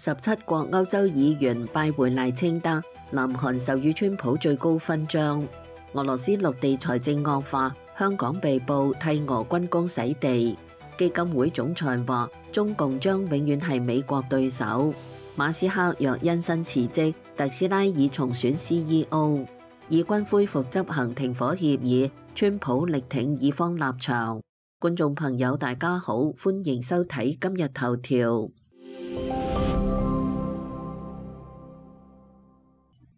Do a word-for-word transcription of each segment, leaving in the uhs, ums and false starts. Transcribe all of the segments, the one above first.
十七國歐洲議員拜會賴清德，南韓授予川普最高勳章。俄羅斯陸地財政惡化，香港被捕替俄軍工洗地。基金會總裁話中共將永遠係美國對手。馬斯克若因薪辭職，特斯拉已重選 C E O。以軍恢復執行停火協議，川普力挺以方立場。觀眾朋友大家好，歡迎收睇今日頭條。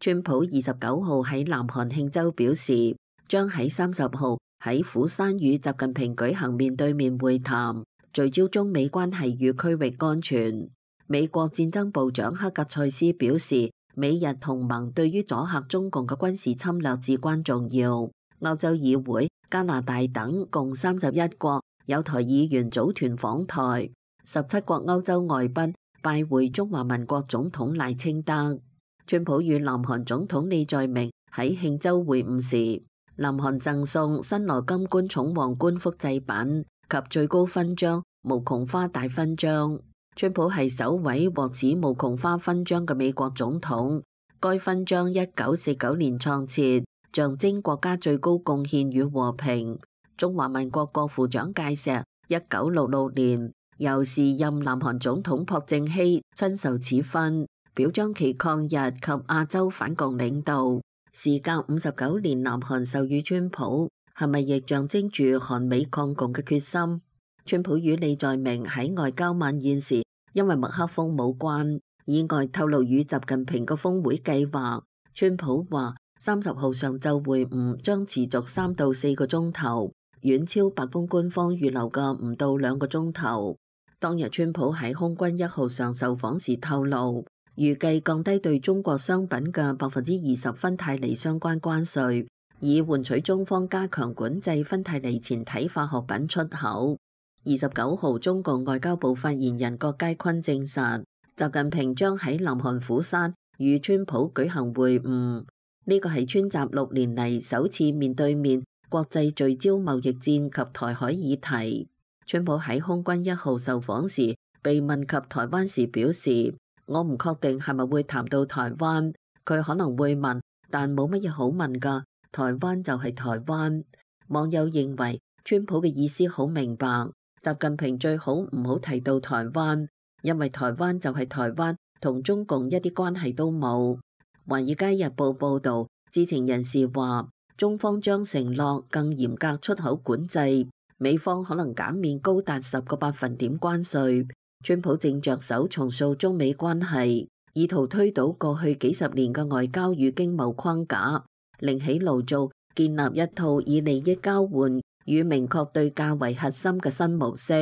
川普二十九號喺南韓慶州表示，將喺三十號喺釜山與習近平舉行面對面會談，聚焦中美關係與區域安全。美國戰爭部長克格塞斯表示，美日同盟對於阻嚇中共嘅軍事侵略至關重要。歐洲議會、加拿大等共三十一國有台議員組團訪台，十七國歐洲外賓拜會中華民國總統賴清德。川普與南韓總統李在明喺慶州會晤時，南韓贈送新羅金冠寵皇冠複製品及最高勳章無窮花大勳章。川普係首位獲此無窮花勳章嘅美國總統。該勳章一九四九年創設，象徵國家最高貢獻與和平。中華民國國父蔣介石一九六六年由時任南韓總統朴正熙親授此勳，表彰其抗日及亞洲反共領導。時隔五十九年，南韓授予川普，係咪亦象徵住韓美抗共嘅決心？川普與李在明喺外交晚宴時，因為麥克風冇關，意外透露與習近平嘅峰會計劃。川普話三十號上晝會晤將持續三到四個鐘頭，遠超白宮官方預留嘅唔到兩個鐘頭。當日川普喺空軍一號上受訪時透露，預計降低對中國商品嘅百分之二十芬太尼相關關稅，以換取中方加強管制芬太尼前體化學品出口。二十九號，中共外交部發言人郭佳坤證實，習近平將喺南韓釜山與川普舉行會晤。呢個係川習六年嚟首次面對面國際聚焦貿易戰及台海議題。川普喺空軍一號受訪時，被問及台灣時表示，我唔確定係咪會談到台灣，佢可能會問，但冇乜嘢好問㗎，台灣就係台灣。網友認為川普嘅意思好明白，習近平最好唔好提到台灣，因為台灣就係台灣，同中共一啲關係都冇。華爾街日報報導，知情人士話，中方將承諾更嚴格出口管制，美方可能減免高達十個百分點關稅。川普正着手重塑中美關係，意圖推倒過去幾十年嘅外交與經貿框架，另起爐灶，建立一套以利益交換與明確對價為核心嘅新模式。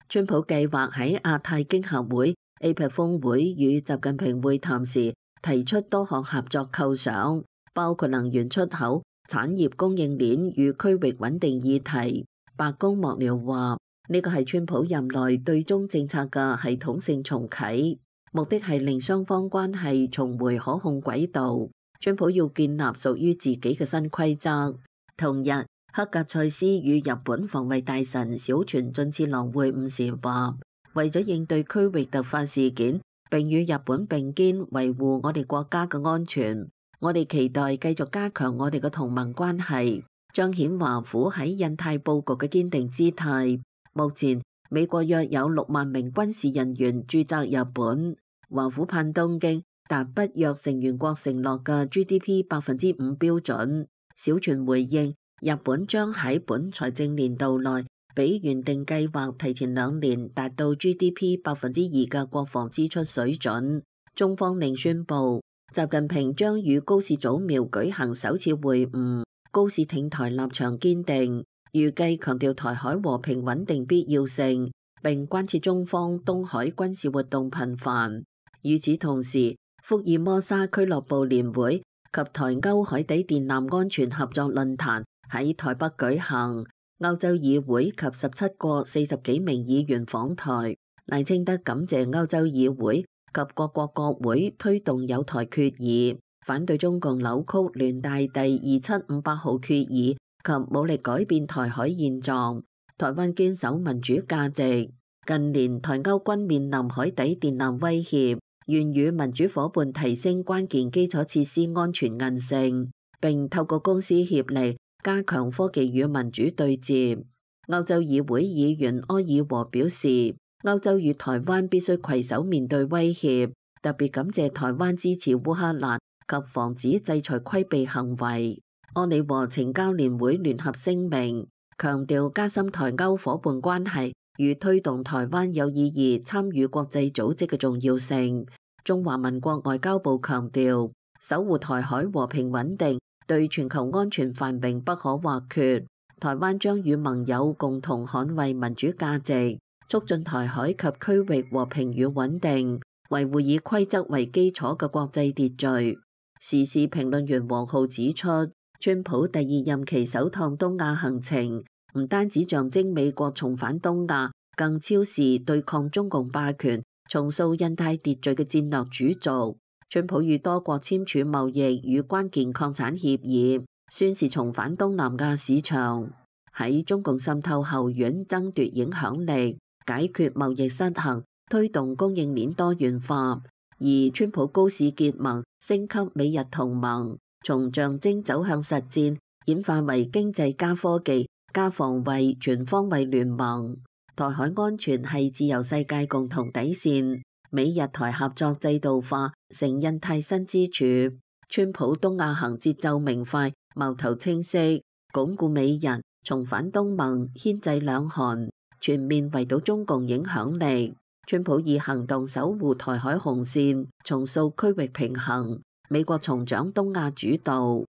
川普計劃喺亞太經合會 A P E C 峰會與習近平會談時，提出多項合作構想，包括能源出口、產業供應鏈與區域穩定議題。白宮幕僚話，呢個係川普任內對中政策嘅系統性重啟，目的係令雙方關係重回可控軌道。川普要建立屬於自己嘅新規則。同日，克格塞斯與日本防衛大臣小泉進次郎會晤時話，為咗應對區域突發事件，並與日本並肩維護我哋國家嘅安全，我哋期待繼續加強我哋嘅同盟關係，彰顯華府喺印太佈局嘅堅定姿態。目前，美國約有六萬名軍事人員駐紮日本。華府盼東京達北約成員國承諾嘅 G D P 百分之五標準。小泉回應，日本將喺本財政年度內比原定計劃提前兩年達到 G D P 百分之二嘅國防支出水準。中方另宣布，習近平將與高市早苗舉行首次會晤，高市挺台立場堅定。預計強調台海和平穩定必要性，並關切中方東海軍事活動頻繁。與此同時，福爾摩沙俱樂部年會及台歐海底電纜安全合作論壇喺台北舉行，歐洲議會及十七國四十幾名議員訪台。賴清德感謝歐洲議會及各國國會推動友台決議，反對中共扭曲聯大第二七五八號決議及武力改變台海現狀。台灣堅守民主價值。近年台歐均面臨海底電纜威脅，願與民主夥伴提升關鍵基礎設施安全韌性，並透過公私協力加強科技與民主對接。歐洲議會議員埃爾和表示，歐洲與台灣必須攜手面對威脅，特別感謝台灣支持烏克蘭及防止制裁規避行為。安理和懲教聯會聯合聲明，強調加深台歐夥伴關係與推動台灣有意義參與國際組織嘅重要性。中華民國外交部強調，守護台海和平穩定對全球安全繁榮不可或缺。台灣將與盟友共同捍衛民主價值，促進台海及區域和平與穩定，維護以規則為基礎嘅國際秩序。時事評論員黃浩指出，川普第二任期首趟東亞行程唔單止象徵美國重返東亞，更昭示對抗中共霸權、重塑印太秩序嘅戰略主軸。川普與多國簽署貿易與關鍵礦產協議，宣示重返東南亞市場，喺中共滲透後院爭奪影響力，解決貿易失衡，推動供應鏈多元化。而川普高市結盟，升級美日同盟，從象徵走向實戰，演化為經濟加科技加防衛全方位聯盟。台海安全係自由世界共同底線，美日台合作制度化成印太新支柱。川普東亞行節奏明快，矛頭清晰，鞏固美日，重返東盟，牽制兩韓，全面圍堵中共影響力。川普以行動守護台海紅線，重塑區域平衡。美國重掌東亞主導。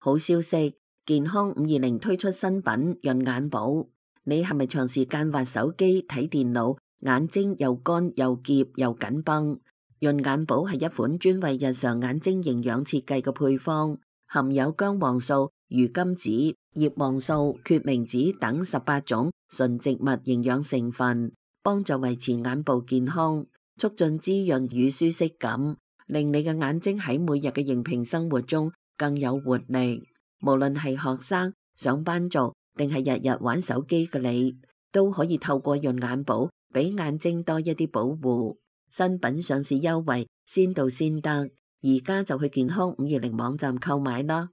好消息，健康五二零推出新品潤眼寶。你係咪長時間滑手機睇電腦，眼睛又乾又澀又緊繃？潤眼寶係一款專為日常眼睛營養設計嘅配方，含有薑黃素、魚甘子、葉黃素、決明子等十八種純植物營養成分，幫助維持眼部健康，促進滋潤與舒適感，令你嘅眼睛喺每日嘅熒屏生活中更有活力。無論係學生、上班族定係日日玩手機嘅你，都可以透過潤眼寶俾眼睛多一啲保護。新品上市優惠先到先得，而家就去健康五二零網站購買啦。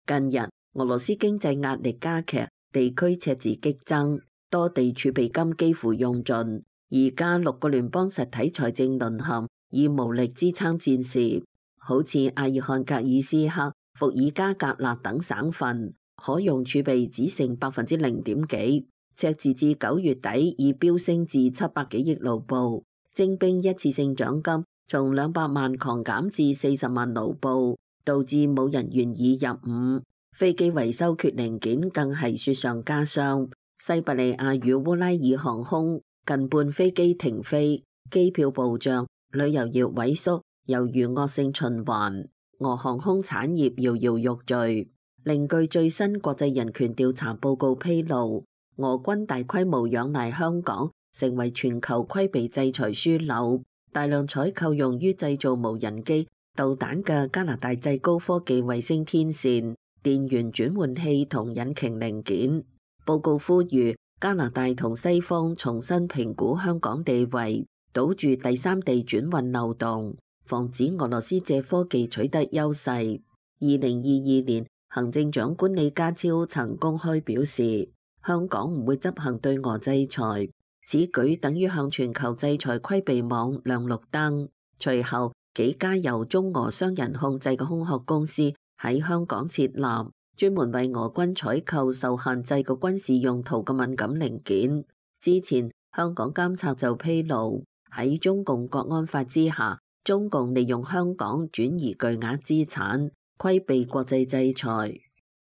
近日俄羅斯經濟壓力加劇，地區赤字激增，多地儲備金幾乎用盡，而家六個聯邦實體財政淪陷，以無力支撐戰事。好似阿爾漢格爾斯克、伏爾加格勒等省份，可用儲備只剩百分之零點幾。赤字至九月底已飆升至七百幾億盧布，徵兵一次性獎金從兩百萬狂減至四十萬盧布，導致冇人願意入伍。飛機維修缺零件更係雪上加霜。西伯利亞與烏拉爾航空近半飛機停飛，機票暴漲，旅遊業萎縮，猶如惡性循環。俄航空產業搖搖欲墜。另據最新國際人權調查報告披露，俄軍大規模仰賴香港，成為全球規避制裁樞紐。大量採購用於製造無人機、導彈嘅加拿大製高科技衛星天線、電源轉換器同引擎零件。報告呼籲加拿大同西方重新評估香港地位，堵住第三地轉運漏洞，防止俄羅斯借科技取得優勢。二零二二年，行政長官李家超曾公開表示，香港唔會執行對俄制裁，此舉等於向全球制裁規避網亮綠燈。隨後，幾家由中俄雙人控制嘅空殼公司喺香港設立，專門為俄軍採購受限制嘅軍事用途嘅敏感零件。之前，香港監察就披露，喺中共國安法之下，中共利用香港轉移巨額資產，規避國際制裁。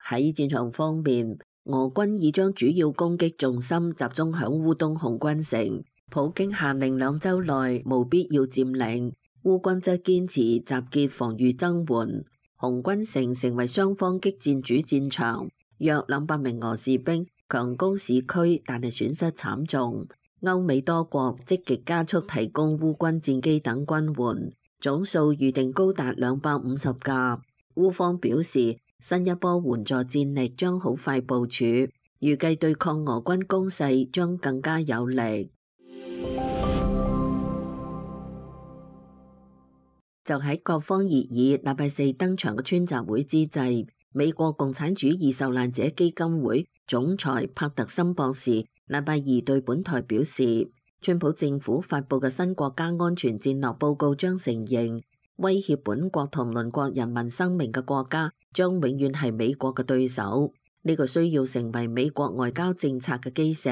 喺戰場方面，俄軍已將主要攻擊重心集中響烏東紅軍城，普京下令兩週內無必要佔領，烏軍則堅持集結防禦增援。紅軍城成為雙方激戰主戰場，約兩百名俄士兵強攻市區，但係損失慘重。歐美多國積極加速提供烏軍戰機等軍援，總數預定高達兩百五十架。烏方表示，新一波援助戰力將好快部署，預計對抗俄軍攻勢將更加有力。就喺各方熱議禮拜四登場嘅川習會之際，美國共產主義受難者基金會總裁帕特森博士禮拜二對本台表示，川普政府發布嘅新國家安全戰略報告將承認，威脅本國同鄰國人民生命嘅國家將永遠係美國嘅對手。呢個需要成為美國外交政策嘅基石。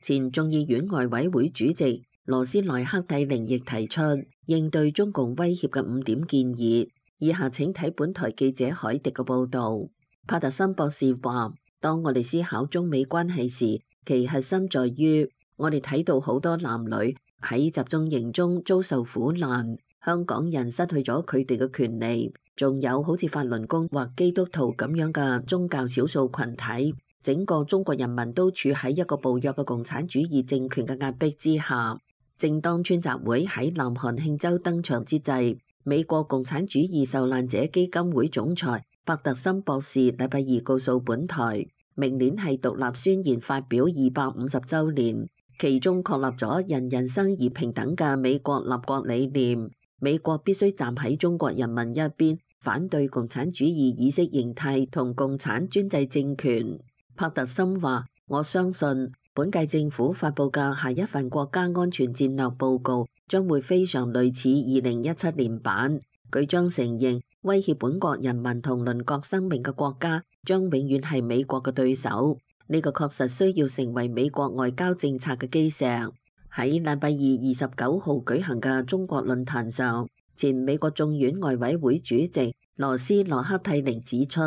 前眾議院外委會主席羅斯萊克蒂寧亦提出應對中共威脅嘅五點建議。以下請睇本台記者海迪嘅報導。帕特森博士話：當我哋思考中美關係時，其核心在於我哋睇到好多男女喺集中營中遭受苦難，香港人失去咗佢哋嘅權利，仲有好似法輪功或基督徒咁樣嘅宗教少數群體，整個中國人民都處喺一個暴虐嘅共產主義政權嘅壓迫之下。正當川習會喺南韓慶州登場之際，美國共產主義受難者基金會總裁帕特森博士禮拜二告訴本台，明年係獨立宣言發表二百五十週年，其中確立咗人人生而平等嘅美國立國理念。美國必須站喺中國人民一邊，反對共產主義意識形態同共產專制政權。帕特森話：我相信本屆政府發布嘅下一份國家安全戰略報告將會非常類似二零一七年版，佢將承認威脅本國人民同鄰國生命嘅國家將永遠係美國嘅對手。呢個確實需要成為美國外交政策嘅基石。喺禮拜二二十九號舉行嘅中國論壇上，前美國眾院外委會主席羅斯洛克蒂寧指出，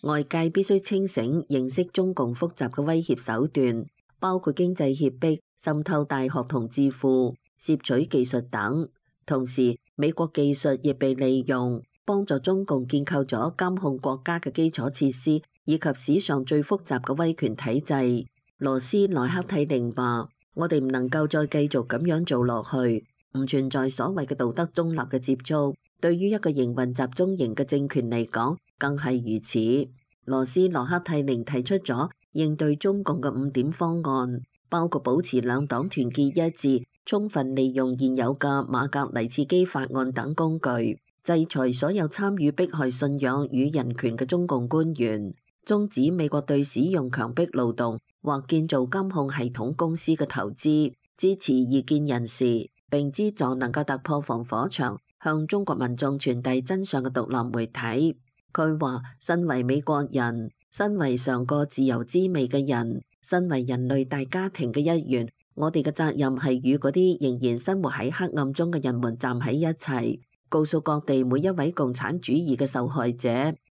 外界必須清醒認識中共複雜嘅威脅手段，包括經濟脅迫、滲透大學同智庫、攝取技術等。同時，美國技術亦被利用，幫助中共建構咗監控國家嘅基礎設施，以及史上最複雜嘅威權體制。羅斯萊克蒂寧話：我哋唔能夠再繼續咁樣做落去，唔存在所謂嘅道德中立嘅接觸。對於一個營運集中營嘅政權嚟講，更係如此。羅斯洛克蒂寧提出咗應對中共嘅五點方案，包括保持兩黨團結一致，充分利用現有嘅馬格尼茨基法案等工具，制裁所有參與迫害信仰與人權嘅中共官員，終止美國對使用強迫勞動或建造監控系統公司嘅投資，支持異見人士，並資助能夠突破防火牆，向中國民眾傳遞真相嘅獨立媒體。佢話：身為美國人，身為嘗過自由滋味嘅人，身為人類大家庭嘅一員，我哋嘅責任係與嗰啲仍然生活喺黑暗中嘅人們站喺一齊，告訴各地每一位共產主義嘅受害者，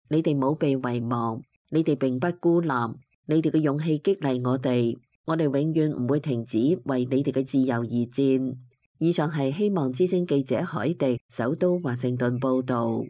你哋冇被遺忘，你哋並不孤立，你哋嘅勇氣激勵我哋，我哋永遠唔會停止為你哋嘅自由而戰。以上係希望之聲記者海地首都華盛頓報導。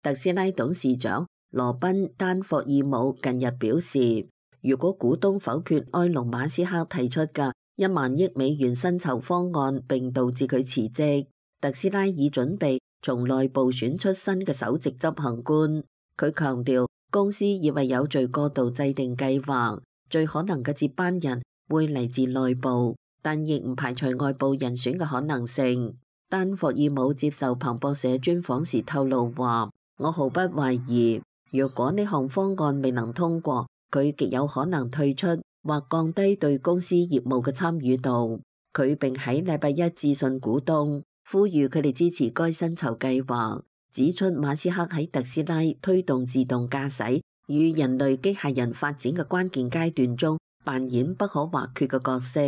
特斯拉董事長羅賓丹霍爾姆近日表示，如果股東否決埃隆馬斯克提出嘅一萬億美元薪酬方案並導致佢辭職，特斯拉已準備從內部選出新嘅首席執行官。佢強調，公司已為有序過渡制定計劃，最可能嘅接班人會嚟自內部，但亦唔排除外部人選嘅可能性。丹霍爾姆接受彭博社專訪時透露話：我毫不懷疑，若果呢項方案未能通過，佢極有可能退出或降低對公司業務嘅參與度。佢並喺禮拜一致信股東，呼籲佢哋支持該薪酬計劃，指出馬斯克喺特斯拉推動自動駕駛與人類機械人發展嘅關鍵階段中扮演不可或缺嘅角色。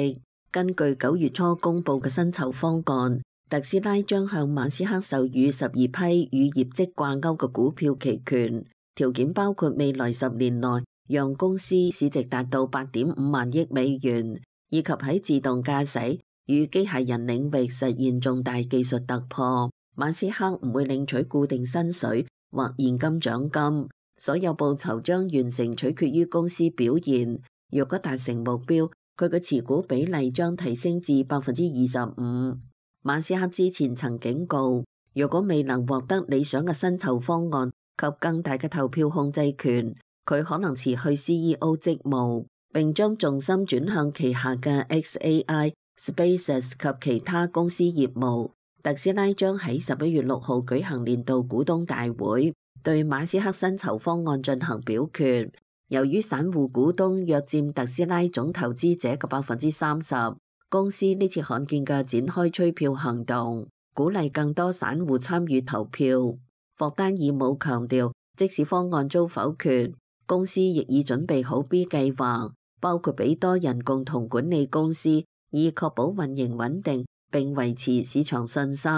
根據九月初公佈嘅薪酬方案，特斯拉將向馬斯克授予十二批與業績掛鈎嘅股票期權，條件包括未來十年內讓公司市值達到八點五萬億美元，以及喺自動駕駛與機械人領域實現重大技術突破。馬斯克唔會領取固定薪水或現金獎金，所有報酬將完成取決於公司表現。若果達成目標，佢嘅持股比例將提升至百分之二十五。馬斯克之前曾警告，如果未能獲得理想嘅薪酬方案，及更大嘅投票控制權，佢可能辭去 C E O 職務，並將重心轉向旗下嘅 X A I、SpaceX 及其他公司業務。特斯拉將喺十一月六號舉行年度股東大會，對馬斯克薪酬方案進行表決。由於散戶股東約佔特斯拉總投資者嘅百分之三十，公司呢次罕見嘅展開催票行動，鼓勵更多散戶參與投票。霍丹爾姆強調，即使方案遭否決，公司亦已準備好 B 計劃，包括俾多人共同管理公司，以確保運營穩定並維持市場信心。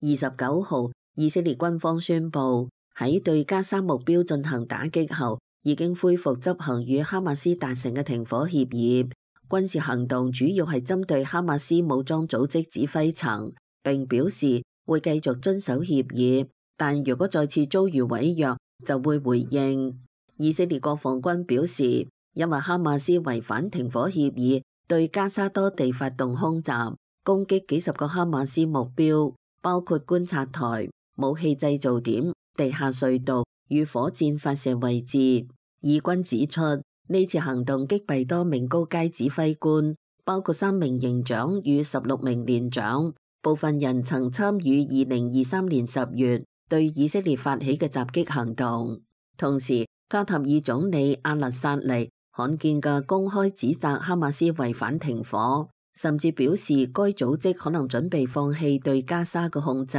二十九號，以色列軍方宣布喺對加沙目標進行打擊後，已經恢復執行與哈馬斯達成嘅停火協議。軍事行動主要係針對哈馬斯武裝組織指揮層，並表示會繼續遵守協議，但如果再次遭遇違約，就會回應。以色列國防軍表示，因為哈馬斯違反停火協議，對加沙多地發動空襲，攻擊幾十個哈馬斯目標，包括觀察台、武器製造點、地下隧道與火箭發射位置。以軍指出，呢次行動擊斃多名高階指揮官，包括三名營長與十六名連長，部分人曾參與二零二三年十月對以色列發起嘅襲擊行動。同時，卡塔爾總理阿勒薩尼罕見嘅公開指責哈馬斯違反停火，甚至表示該組織可能準備放棄對加沙嘅控制。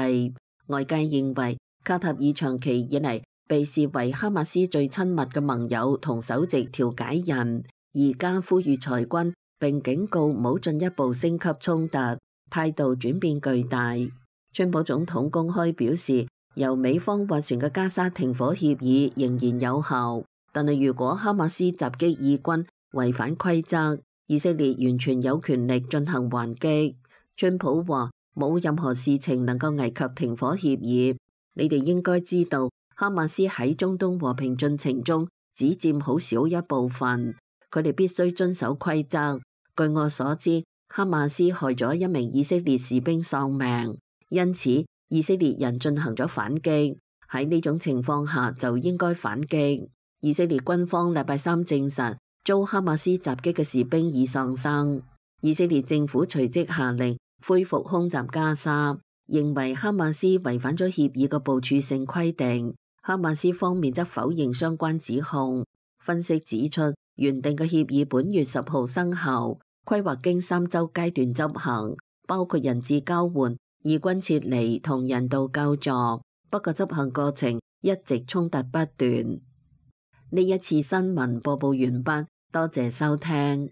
外界認為卡塔爾長期以嚟被視為哈馬斯最親密嘅盟友同首席調解人，而家呼籲裁軍並警告唔好進一步升級衝突，態度轉變巨大。川普總統公開表示，由美方斡旋嘅加沙停火協議仍然有效，但係如果哈馬斯襲擊以軍違反規則，以色列完全有權力進行還擊。川普話冇任何事情能夠危及停火協議，你哋應該知道，哈馬斯喺中東和平進程中只佔好少一部分，佢哋必須遵守規則。據我所知，哈馬斯害咗一名以色列士兵喪命，因此以色列人進行咗反擊。喺呢種情況下就應該反擊。以色列軍方禮拜三證實，遭哈馬斯襲擊嘅士兵已喪生。以色列政府隨即下令恢復空襲加沙，認為哈馬斯違反咗協議嘅部署性規定。哈馬斯方面則否認相關指控。分析指出，原定嘅協議本月十號生效，規劃經三週階段執行，包括人質交換、以軍撤離同人道救助。不過執行過程一直衝突不斷。呢一次新聞播報完畢，多謝收聽。